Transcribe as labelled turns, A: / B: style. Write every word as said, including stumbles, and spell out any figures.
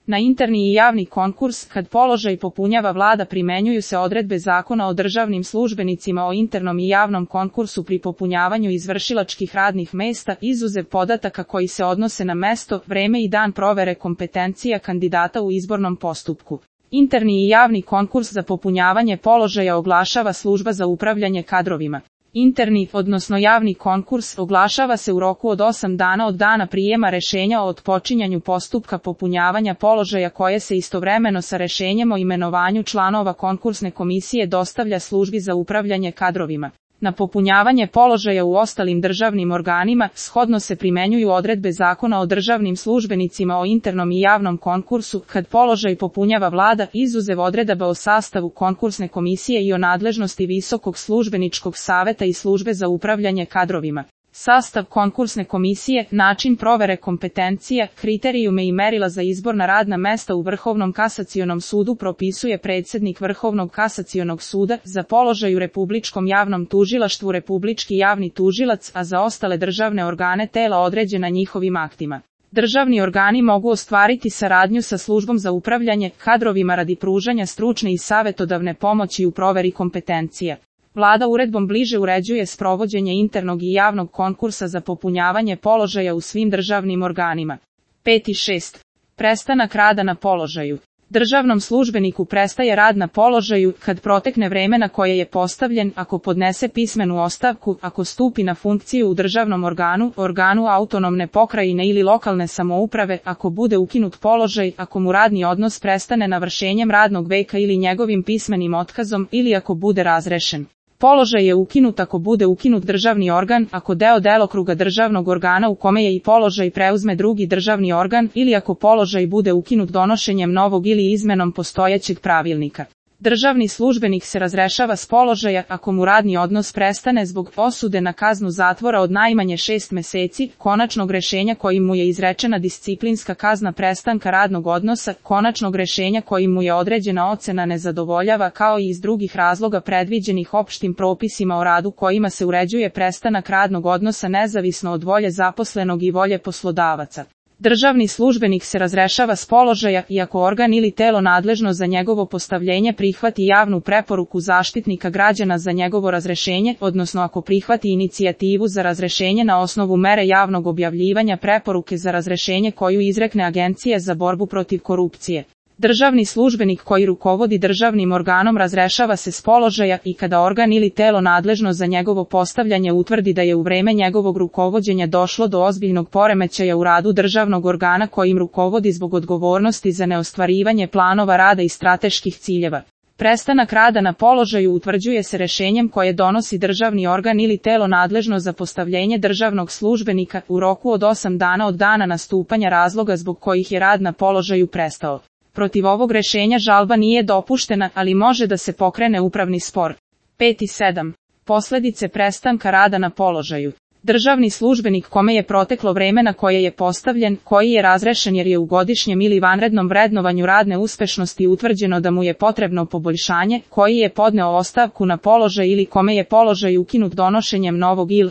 A: Na interni i javni konkurs, kad položaj popunjava vlada, primenjuju se odredbe Zakona o državnim službenicima o internom i javnom konkursu pri popunjavanju izvršilačkih radnih mesta, izuzev podataka koji se odnose na mesto, vreme i dan provere kompetencija kandidata u izbornom postupku. Interni i javni konkurs za popunjavanje položaja oglašava Služba za upravljanje kadrovima. Interni, odnosno javni konkurs, oglašava se u roku od osam dana od dana prijema rešenja o otpočinjanju postupka popunjavanja položaja, koje se istovremeno sa rešenjem o imenovanju članova konkursne komisije dostavlja Službi za upravljanje kadrovima. Na popunjavanje položaja u ostalim državnim organima, shodno se primenjuju odredbe Zakona o državnim službenicima o internom i javnom konkursu, kad položaj popunjava vlada, izuzev odredaba o sastavu konkursne komisije i o nadležnosti Visokog službeničkog saveta i Službe za upravljanje kadrovima. Sastav konkursne komisije, način provere kompetencija, kriterijume i merila za izbor na radna mesta u Vrhovnom kasacionom sudu propisuje predsjednik Vrhovnog kasacionog suda, za položaj u Republičkom javnom tužilaštvu Republički javni tužilac, a za ostale državne organe tela određena njihovim aktima. Državni organi mogu ostvariti saradnju sa Službom za upravljanje kadrovima radi pružanja stručne i savjetodavne pomoći u proveri kompetencija. Vlada uredbom bliže uređuje sprovođenje internog i javnog konkursa za popunjavanje položaja u svim državnim organima. pet i šest. Prestanak rada na položaju. Državnom službeniku prestaje rad na položaju kad protekne vreme na koje je postavljen, ako podnese pismenu ostavku, ako stupi na funkciju u državnom organu, organu autonomne pokrajine ili lokalne samouprave, ako bude ukinut položaj, ako mu radni odnos prestane navršenjem radnog veka ili njegovim pismenim otkazom, ili ako bude razrešen. Položaj je ukinut ako bude ukinut državni organ, ako deo delokruga državnog organa u kome je i položaj preuzme drugi državni organ, ili ako položaj bude ukinut donošenjem novog ili izmenom postojećeg pravilnika. Državni službenik se razrešava s položaja ako mu radni odnos prestane zbog osude na kaznu zatvora od najmanje šest meseci, konačnog rešenja kojim mu je izrečena disciplinska kazna prestanka radnog odnosa, konačnog rešenja kojim mu je određena ocena ne zadovoljava, kao i iz drugih razloga predviđenih opštim propisima o radu kojima se uređuje prestanak radnog odnosa nezavisno od volje zaposlenog i volje poslodavaca. Državni službenik se razrešava s položaja i ako organ ili telo nadležno za njegovo postavljenje prihvati javnu preporuku Zaštitnika građana za njegovo razrešenje, odnosno ako prihvati inicijativu za razrešenje na osnovu mere javnog objavljivanja preporuke za razrešenje koju izrekne Agencija za borbu protiv korupcije. Državni službenik koji rukovodi državnim organom razrešava se s položaja i kada organ ili telo nadležno za njegovo postavljanje utvrdi da je u vreme njegovog rukovođenja došlo do ozbiljnog poremećaja u radu državnog organa kojim rukovodi zbog odgovornosti za neostvarivanje planova rada i strateških ciljeva. Prestanak rada na položaju utvrđuje se rešenjem koje donosi državni organ ili telo nadležno za postavljenje državnog službenika u roku od osam dana od dana nastupanja razloga zbog kojih je rad na položaju prestao. Protiv ovog rešenja žalba nije dopuštena, ali može da se pokrene upravni spor. pet i sedam. Posledice prestanka rada na položaju. Državni službenik kome je proteklo vreme na koje je postavljen, koji je razrešen jer je u godišnjem ili vanrednom vrednovanju radne uspešnosti utvrđeno da mu je potrebno poboljšanje, koji je podneo ostavku na položaj ili kome je položaj ukinut donošenjem novog ili